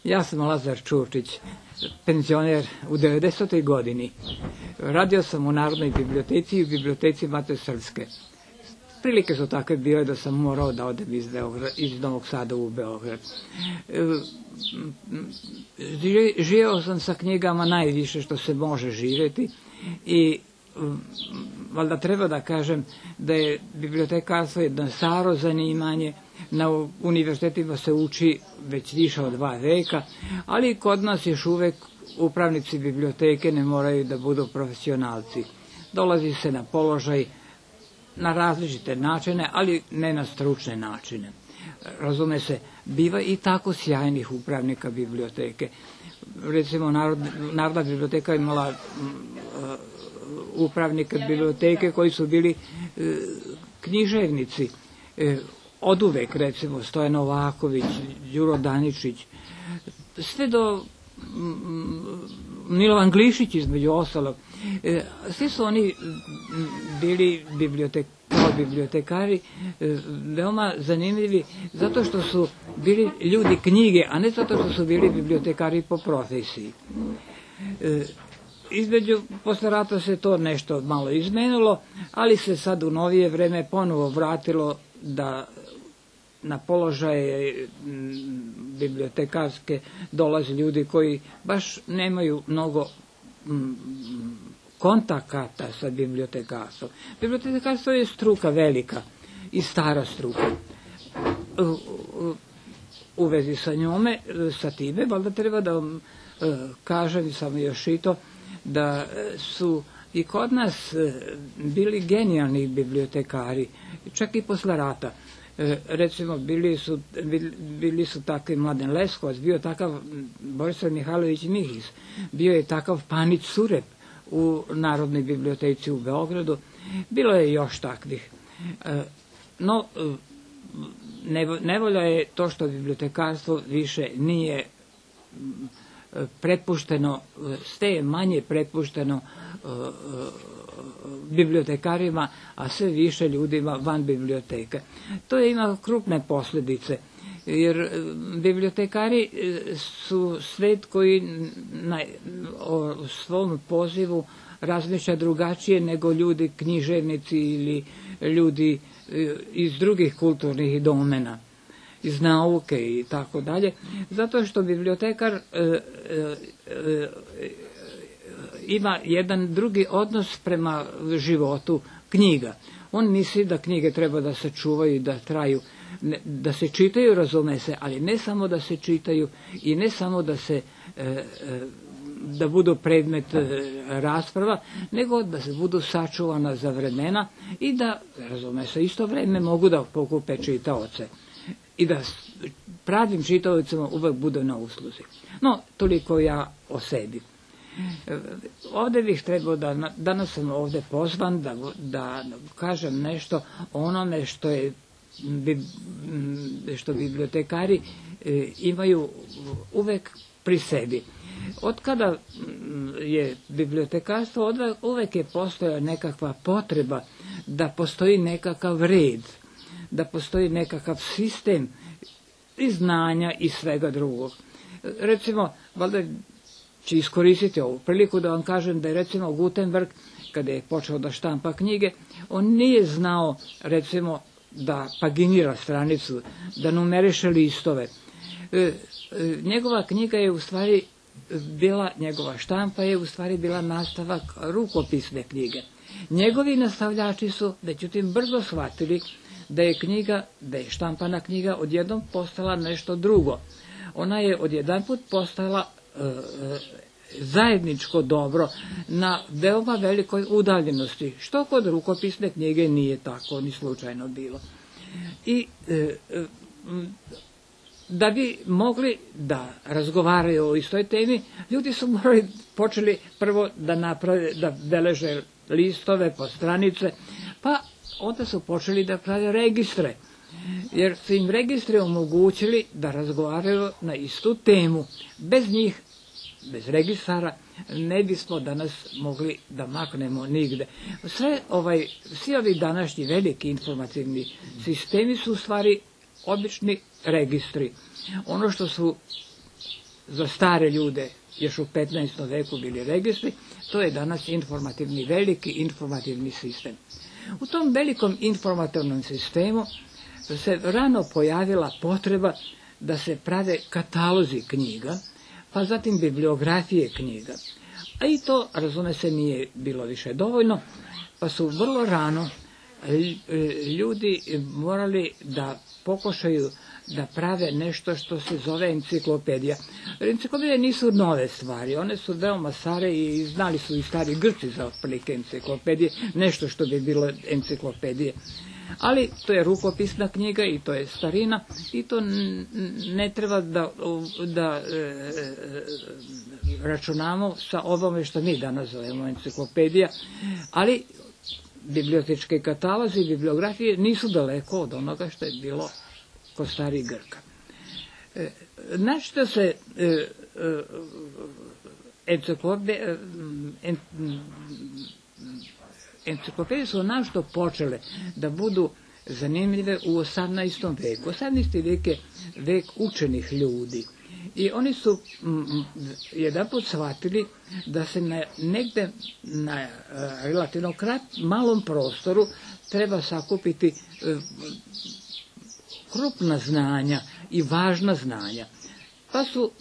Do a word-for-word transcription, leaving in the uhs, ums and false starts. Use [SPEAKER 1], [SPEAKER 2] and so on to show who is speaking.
[SPEAKER 1] Ja sam Lazar Čurčić, penzioner u devedesetoj godini. Radio sam u Narodnoj biblioteci i u biblioteci Mate Srpske. Prilike su takve bile da sam morao da odem iz, Beograd, iz Novog Sada u Beograd. Živeo sam sa knjigama najviše što se može živjeti i valjda treba da kažem da je bibliotekarstvo jedno staro zanimanje. Na univerzitetima se uči već više od dva veka, ali kod nas još uvek upravnici biblioteke ne moraju da budu profesionalci. Dolazi se na položaj na različite načine, ali ne na stručne načine. Razume se, biva i tako sjajnih upravnika biblioteke. Recimo, Narodna biblioteka imala upravnike biblioteke koji su bili književnici. Od uvek, recimo, Stojan Novaković, Đuro Daničić, sve do Milovan Glišić, između ostalog. Svi su oni bili kao bibliotekari veoma zanimljivi zato što su bili ljudi knjige, a ne zato što su bili bibliotekari po profesiji. Između, posle rata se to nešto malo izmenilo, ali se sad u novije vreme ponovo vratilo da na položaje bibliotekarske dolaze ljudi koji baš nemaju mnogo kontakata sa bibliotekarstvom. Bibliotekarstvo je struka velika i stara struka. U vezi sa njome, sa time, valjda treba da vam kažem samo još i to, da su i kod nas bili genijalni bibliotekari, čak i posle rata. Recimo, bili su, bili su takvi Mladen Leskovac, bio takav Borislav Mihajlović Mihis, bio je takav Panić Surep u Narodnoj biblioteci u Beogradu, bilo je još takvih. No, nevolja je to što bibliotekarstvo više nije prepušteno, sve je manje prepušteno bibliotekarima, a sve više ljudima van biblioteke. To je ima krupne posljedice, jer bibliotekari su svet koji na, o svom pozivu razmišlja drugačije nego ljudi književnici ili ljudi iz drugih kulturnih domena, iz nauke i tako dalje, zato što bibliotekar e, e, e, ima jedan drugi odnos prema životu knjiga. On misli da knjige treba da se čuvaju i da traju, ne, da se čitaju, razume se, ali ne samo da se čitaju i ne samo da se e, e, da budu predmet e, rasprava, nego da se budu sačuvana za vremena i da, razume se, isto vreme mogu da pokupe čitaoce i da pravim čitaocima uvek bude na usluzi. No, toliko ja o sebi. Ovde bih trebao da, danas sam ovde pozvan da, da kažem nešto o onome što je što bibliotekari imaju uvek pri sebi. Od kada je bibliotekarstvo, uvek je postojala nekakva potreba da postoji nekakav red, da postoji nekakav sistem i znanja i svega drugog. Recimo, valjda ću iskoristiti ovu priliku da vam kažem da je recimo Gutenberg, kada je počeo da štampa knjige, on nije znao recimo da paginira stranicu, da numeriše listove. E, e, njegova knjiga je u stvari bila, njegova štampa je u stvari bila nastavak rukopisne knjige. Njegovi nastavljači su, međutim, brzo shvatili da je knjiga, da je štampana knjiga odjednom postala nešto drugo. Ona je odjedanput postala e, zajedničko dobro na veoma velikoj udaljenosti, što kod rukopisne knjige nije tako ni slučajno bilo. I e, da bi mogli da razgovaraju o istoj temi, ljudi su morali, počeli prvo da naprave, da beleže listove po stranice, pa onda su počeli da prave registre, jer su im registri omogućili da razgovaraju na istu temu. Bez njih, bez registara, ne bismo danas mogli da maknemo nigde. Sve ovaj, svi ovi današnji veliki informativni sistemi su u stvari obični registri. Ono što su za stare ljude još u petnaestom veku bili registri, to je danas informativni, veliki informativni sistem. U tom velikom informativnom sistemu se rano pojavila potreba da se prave katalozi knjiga, pa zatim bibliografije knjiga. A i to, razume se, nije bilo više dovoljno, pa su vrlo rano ljudi morali da pokušaju da prave nešto što se zove enciklopedija. Enciklopedije nisu nove stvari, one su veoma stare i znali su i stari Grci za otprilike enciklopedije, nešto što bi bilo enciklopedije. Ali to je rukopisna knjiga i to je starina i to ne treba da, da e, računamo sa ovome što mi danas zovemo enciklopedija, ali bibliotečke katalozi i bibliografije nisu daleko od onoga što je bilo kod starih Grka. E, znači da se e, e, enciklopedije, en, enciklopedije su našto počele da budu zanimljive u osamnaestom veku. osamnaesti vek je vek učenih ljudi. I oni su mm, jedanput shvatili da se na, negde na uh, relativno krat, malom prostoru treba sakupiti uh, krupna znanja i važna znanja. Pa su